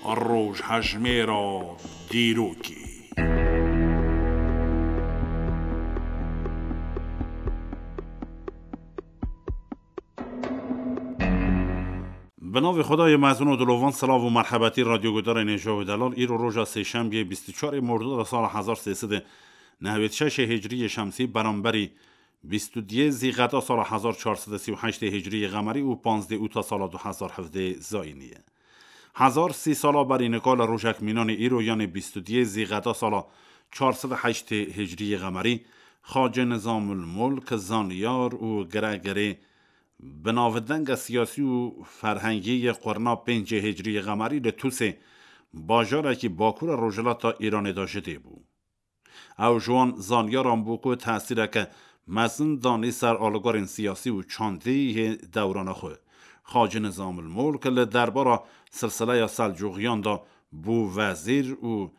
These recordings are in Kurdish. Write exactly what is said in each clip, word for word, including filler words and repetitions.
Rojhejmêra dîrokê. Bi navê Xwedayê mezin û dilovan, silav û merhebetî radyoguhdarên hêja û delal. Îro roja sêşembiyê bîst û çarê Mordora sala hezar sê sed û nehwêd şeşê hicriyê şemsî, beramberî bîst û duyê Zîqeda sala hezar çar sed û sî û heştê hicriyê qemerî û panzdê ûta sala du hezar hevdê zayînî ye. Hezar sî sala berî nika li rojek mînanê îro, yanê bîst û duyê Zîqeda sala çar sed û heştê hicriyê qemerî, Xacê Nizamul Mulk, zanyar û giregirê bi navdenge siyasî û ferhengî yê qurna pêncê hicriyê qemerî li Tûsê, bajarekî bakûra rojhilata Îranê de ji dê bû. Ew ji wan zanyaran bû ku tesîreke mezin danî ser alîgorên siyasî û çandî yê dewrana xwe. Xacî Nizamul Mulk li derbara silsileya Selcuxiyan de bû wezîr û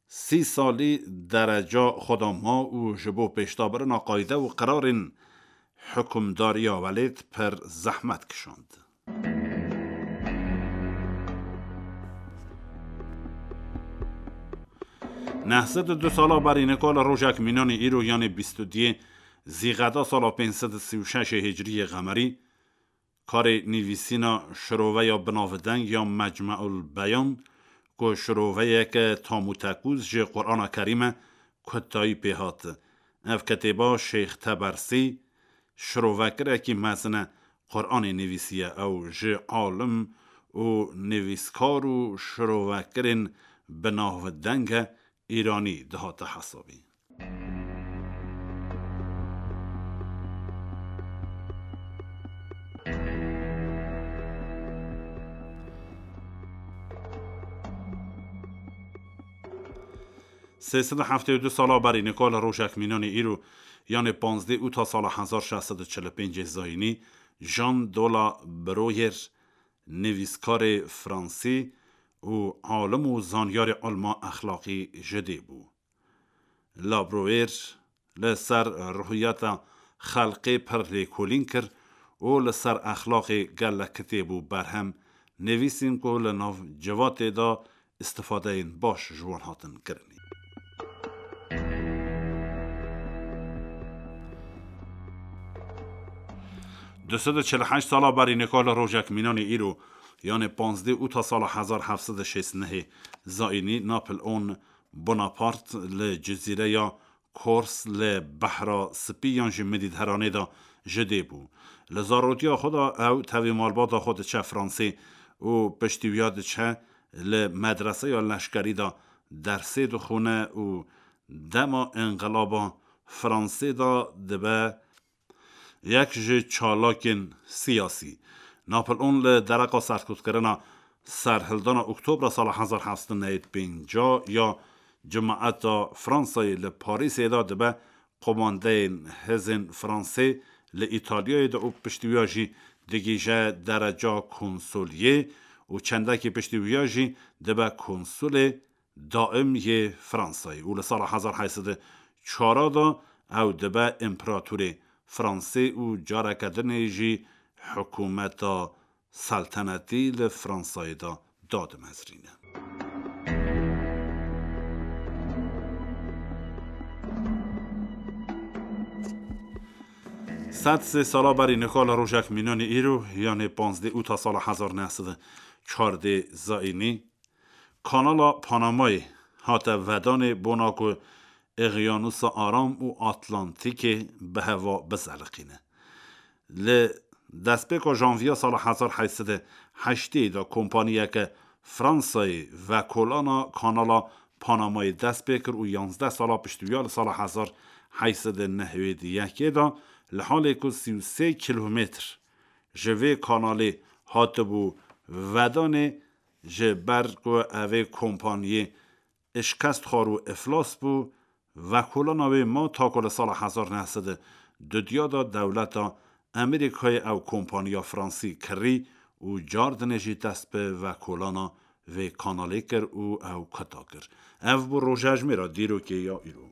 sî salî dereca xwe de ma û ji bo pêşdabirina qayde û qirarên hikûmdariya welêt pir zehmet kişand. Neh sed û du sala berî nika li rojek mînanê îro, yanê bîst û duyê Zîqeda sala pênc sed û sî û şeşê hicriyê qemerî, karê nivîsîna şiroveya binavdeng ya Mecmeul Beyan, ku şiroveyeke tam û tekûz ji Qur'ana Kerîm e, kutayî pê hat. Ev kitêba Şêx Tebersî şirovekirekî mezin e Qur'anê nivîsiye. Ew ji alim û nivîskar û şirovekirên binavdeng e Îranî dihate hesabî. Sê sed û heftê û du sala berî nika li rojek mînanê îro, yanê panzdeh ûta sala hezar şeş sed û çil û pêncê zayînî, Jean de la Bruyère, nivîskarê fransî û alim û zanyarê ilma exlaqî ji dê bû. La Bruyère li ser ruhiyeta xelkê pir lêkolîn kir û li ser exlaqê gelek kitêb û berhem nivîsîn ku li nav civatê de îstifadeyên baş ji wan hatin kirinî. Du sed û çil û heşt sala berî nika li rojek mînanê îro, yanê panzdeh ûta sala hezar heft sed û şêst û nehê zayînî, Napoleon Bonaparte li cizîreya Kors li Behra Spî yan jî Medîteranê de ji dê bû. Li zarotiya xwe de ew tevî malbata xwe diçe Fransê û piştî wiya diçe li medreseya leşkerî de dersê dixwine û dema înqilaba Fransê de dibe yek ji çalakên siyasî. Napoleon li dereqa serkutkirina serhildana Oktobra sala hezar heft sed û newêd û pênc ya Cimaeta Fransayê li Parîsê de dibe qomandeyên hêzên Fransê li Îtalyayê de û piştî wiya jî digihîje dereca konsoliyê û çendekî piştî wiya jî dibe konsulê daim yê Fransayê û li sala hezar heyt sed û çar de ew dibe împeratorê Fransê û careke dinê jî hikûmeta seltenetî li Fransayê de dadimezrîne. Sed sê sala berî nika li rojek mînanê îro, yanê panzdeh ûta sala hezar neh sed û çardê zayînî, Kanala Panamayê hate vedanê bona ku Eqyanusa Aram û Atlantîkê bi heva bizeliqîne. Li destpêka janviya sala hezar heyt sed û heştê de kompaniyeke Fransayê vekolana Kanala Panamayê dest pê kir û yanzdeh sala piştî wiya li sala hezar heyt sed û nehwêd û yekê de li halê ku sî û sê kîlometr ji vê kanalê hatibû vedanê, ji ber ku evê kompaniyê şikest xwar û iflas bû, vekolana wê ma ta ku li sala hezar neh sed û dudiya de dewleta Amerîkayê ew kompaniya fransî kirî û cardinê jî dest bi vekolana vê kanalê kir û ew kuta kir. Ev bû rojejmêra dîrokê ya îro.